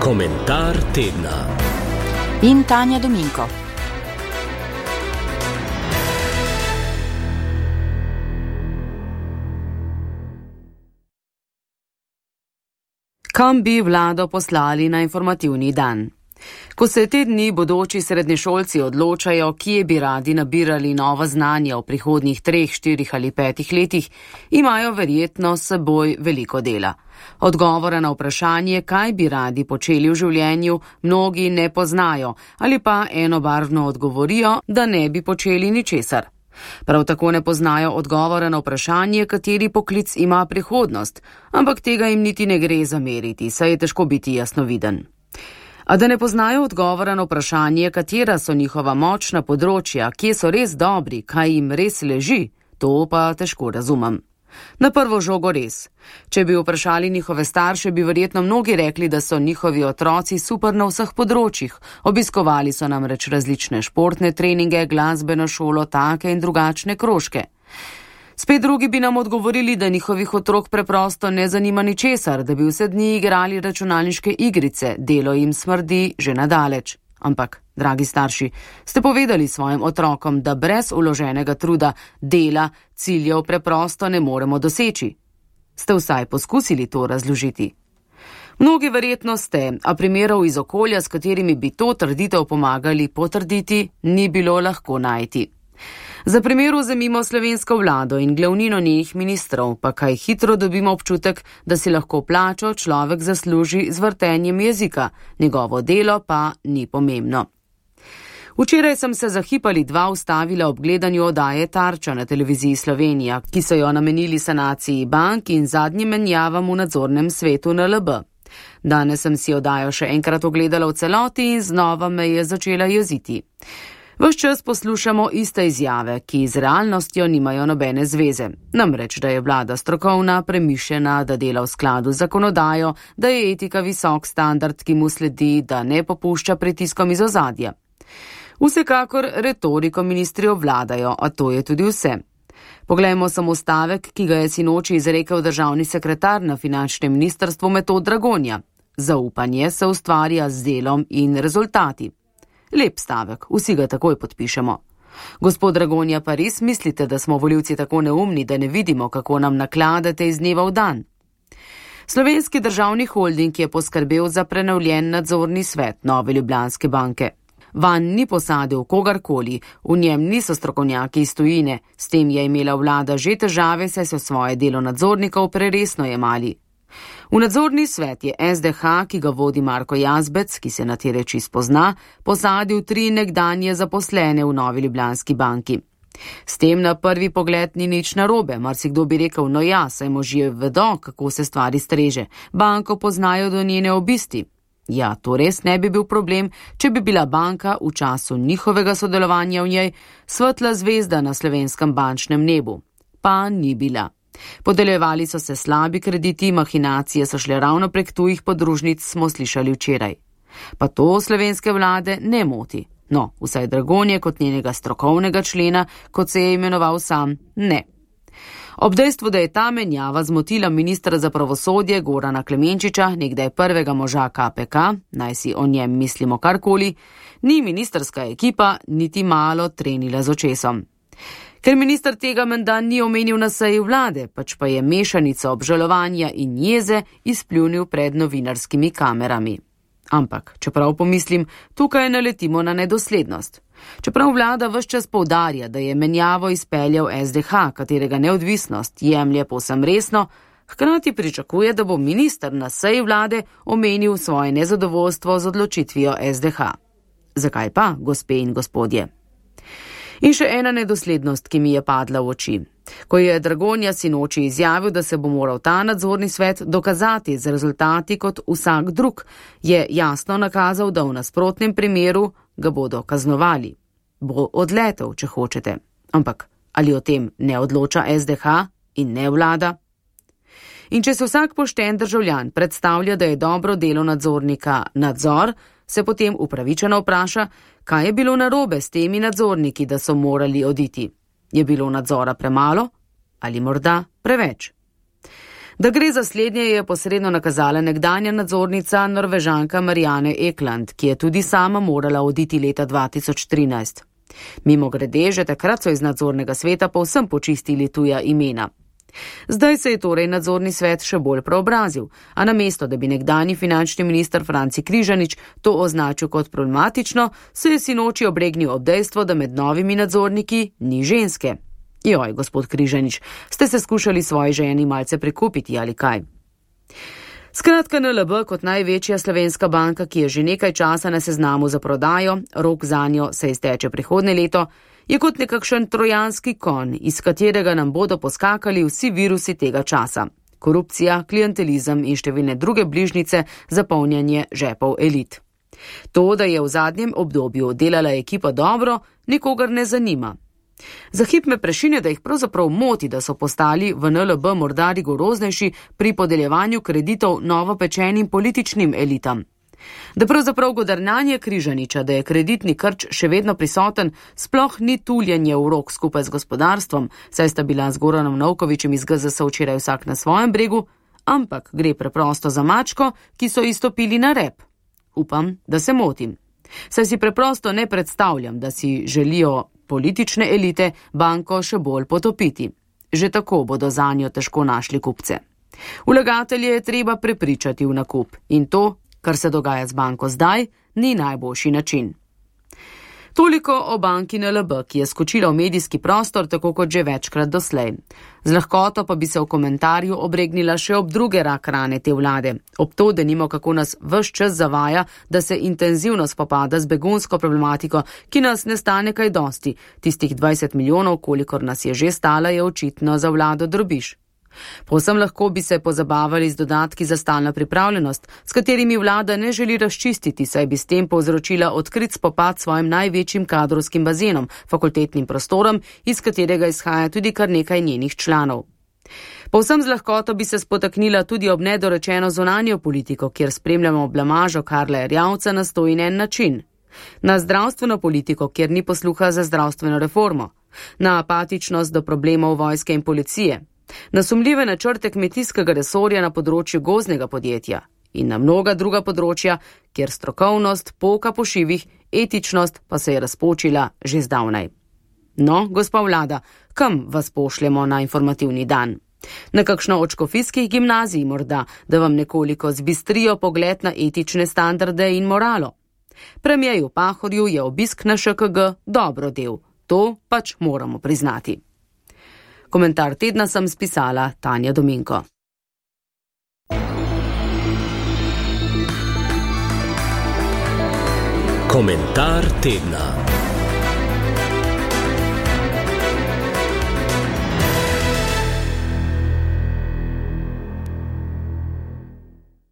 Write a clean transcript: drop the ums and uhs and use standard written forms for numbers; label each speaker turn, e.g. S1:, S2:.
S1: Komentar tedna.
S2: In Tanja Dominko. Kam bi vlado poslali na informativni dan? Ko se te dni bodoči srednješolci odločajo, kje bi radi nabirali nova znanja v prihodnjih 3, 4 ali 5 letih, imajo verjetno s seboj veliko dela. Odgovora na vprašanje, kaj bi radi počeli v življenju, mnogi ne poznajo ali pa enobarvno odgovorijo, da ne bi počeli ničesar. Prav tako ne poznajo odgovora na vprašanje, kateri poklic ima prihodnost, ampak tega jim niti ne gre zameriti, saj je težko biti jasnoviden. A da ne poznajo odgovora na vprašanje, katera so njihova močna področja, kje so res dobri, kaj jim res leži, to pa težko razumem. Na prvo žogo res. Če bi vprašali njihove starše, bi verjetno mnogi rekli, da so njihovi otroci super na vseh področjih. Obiskovali so namreč različne športne treninge, glasbeno šolo, take in drugačne krožke. Spet drugi bi nam odgovorili, da njihovih otrok preprosto ne zanima ničesar, da bi vse dni igrali računalniške igrice, delo jim smrdi že nadaleč. Ampak, dragi starši, ste povedali svojim otrokom, da brez vloženega truda, dela, ciljev preprosto ne moremo doseči? Ste vsaj poskusili to razložiti? Mnogi verjetno ste, a primerov iz okolja, s katerimi bi to trditev pomagali potrditi, ni bilo lahko najti. Za primer vzemimo slovensko vlado in glavnino njenih ministrov, pa kaj hitro dobimo občutek, da si lahko plačo človek zasluži z vrtenjem jezika, njegovo delo pa ni pomembno. Včeraj sem se za hip ali dva ustavila ob gledanju oddaje Tarča na televiziji Slovenija, ki so jo namenili sanaciji bank in zadnjim menjavam v nadzornem svetu NLB. Danes sem si oddajo še enkrat ogledala v celoti in znova me je začela jeziti. Ves čas poslušamo iste izjave, ki z realnostjo nimajo nobene zveze. Namreč, da je vlada strokovna, premišljena, da dela v skladu z zakonodajo, da je etika visok standard, ki mu sledi, da ne popušča pritiskom iz ozadja. Vsekakor retoriko ministri obvladajo, a to je tudi vse. Poglejmo samo stavek, ki ga je sinoči izrekel državni sekretar na finančnem ministrstvu Metod Dragonja. Zaupanje se ustvarja z delom in rezultati. Lep stavek, vsi ga takoj podpišemo. Gospod Dragonja, pa res mislite, da smo volivci tako neumni, da ne vidimo, kako nam nakladate iz dneva v dan? Slovenski državni holding je poskrbel za prenovljen nadzorni svet Nove Ljubljanske banke. Van ni posadil kogarkoli, v njem niso strokovnjaki iz tujine, s tem je imela vlada že težave, saj so svoje delo nadzornikov preresno jemali. V nadzorni svet je SDH, ki ga vodi Marko Jazbec, ki se na te reči spozna, posadil 3 nekdanje zaposlene v Novi Ljubljanski banki. S tem na prvi pogled ni nič narobe, marsikdo bi rekel, no ja, saj možje vedo, kako se stvari streže, banko poznajo do njene obisti. Ja, to res ne bi bil problem, če bi bila banka v času njihovega sodelovanja v njej svetla zvezda na slovenskem bančnem nebu. Pa ni bila. Podeljevali so se slabi krediti, mahinacije so šle ravno prek tujih podružnic, smo slišali včeraj. Pa to slovenske vlade ne moti. No, vsaj Dragonje kot njenega strokovnega člena, kot se je imenoval sam, ne. Ob dejstvu, da je ta menjava zmotila ministra za pravosodje Gorana Klemenčiča, nekdaj prvega moža KPK, naj si o njem mislimo karkoli, ni ministrska ekipa niti malo trenila z očesom. Ker minister tega menda ni omenil na seji vlade, pač pa je mešanica obžalovanja in jeze izpljunil pred novinarskimi kamerami. Ampak, čeprav pomislim, tukaj naletimo na nedoslednost. Čeprav vlada ves čas poudarja, da je menjavo izpeljal SDH, katerega neodvisnost jemlje povsem resno, hkrati pričakuje, da bo minister na seji vlade omenil svoje nezadovoljstvo z odločitvijo SDH. Zakaj pa, gospe in gospodje? In še ena nedoslednost, ki mi je padla v oči. Ko je Dragonja sinoči izjavil, da se bo moral ta nadzorni svet dokazati z rezultati kot vsak drug, je jasno nakazal, da v nasprotnem primeru ga bodo kaznovali. Bo odletel, če hočete. Ampak ali o tem ne odloča SDH in ne vlada? In če se vsak pošten državljan predstavlja, da je dobro delo nadzornika nadzor, se potem upravičeno vpraša, kaj je bilo narobe s temi nadzorniki, da so morali oditi. Je bilo nadzora premalo ali morda preveč? Da gre za slednje, je posredno nakazala nekdanja nadzornica Norvežanka Marianne Ekland, ki je tudi sama morala oditi leta 2013. Mimogrede, že takrat so iz nadzornega sveta povsem počistili tuja imena. Zdaj se je torej nadzorni svet še bolj preobrazil, a namesto, da bi nekdanji finančni minister Franci Križanič to označil kot problematično, se je sinoči obregnil ob dejstvo, da med novimi nadzorniki ni ženske. Joj, gospod Križanič, ste se skušali svoji ženi malce prikupiti ali kaj? Skratka, NLB kot največja slovenska banka, ki je že nekaj časa na seznamu za prodajo, rok zanjo se izteče prihodnje leto, je kot nekakšen trojanski konj, iz katerega nam bodo poskakali vsi virusi tega časa. Korupcija, klientelizem in številne druge bližnjice za polnjenje žepov elit. To, da je v zadnjem obdobju delala ekipa dobro, nikogar ne zanima. Za hip me prešine, da jih pravzaprav moti, da so postali v NLB morda rigoroznejši pri podeljevanju kreditov novopečenim političnim elitam. Da pravzaprav godrnjanje Križaniča, da je kreditni krč še vedno prisoten, sploh ni tuljenje v rok skupaj z gospodarstvom, saj sta bila z Goranom Novkovičem iz GZS včeraj vsak na svojem bregu, ampak gre preprosto za mačko, ki so izstopili na rep. Upam, da se motim. Saj si preprosto ne predstavljam, da si želijo politične elite banko še bolj potopiti. Že tako bodo zanjo težko našli kupce. Vlagatelje je treba prepričati v nakup in to, kar se dogaja z banko zdaj, ni najboljši način. Toliko o banki NLB, ki je skočila v medijski prostor, tako kot že večkrat doslej. Z lahkoto pa bi se v komentarju obregnila še ob druge rak rane te vlade. Ob to, da nimo kako nas ves čas zavaja, da se intenzivno spopada z begunsko problematiko, ki nas ne stane kaj dosti. Tistih 20 milijonov, kolikor nas je že stala, je očitno za vlado drobiž. Povsem lahko bi se pozabavali z dodatki za stalno pripravljenost, s katerimi vlada ne želi razčistiti, saj bi s tem povzročila odkrit spopad s svojim največjim kadrovskim bazenom, fakultetnim prostorom, iz katerega izhaja tudi kar nekaj njenih članov. Povsem z lahkoto bi se spotaknila tudi ob nedorečeno zunanjo politiko, kjer spremljamo blamažo Karla Erjavca na 101 način. Na zdravstveno politiko, kjer ni posluha za zdravstveno reformo. Na apatičnost do problemov vojske in policije. Na sumljive načrte kmetijskega resorja na področju gozdnega podjetja in na mnoga druga področja, kjer strokovnost poka po šivih, etičnost pa se je razpočila že zdavnaj. No, gospa vlada, kam vas pošljemo na informativni dan? Na kakšno od škofijskih gimnazij morda, da vam nekoliko zbistrijo pogled na etične standarde in moralo? Premierju Pahorju je obisk na ŠKG dobro del, to pač moramo priznati. Komentar tedna sem spisala Tanja Dominko.
S1: Komentar tedna.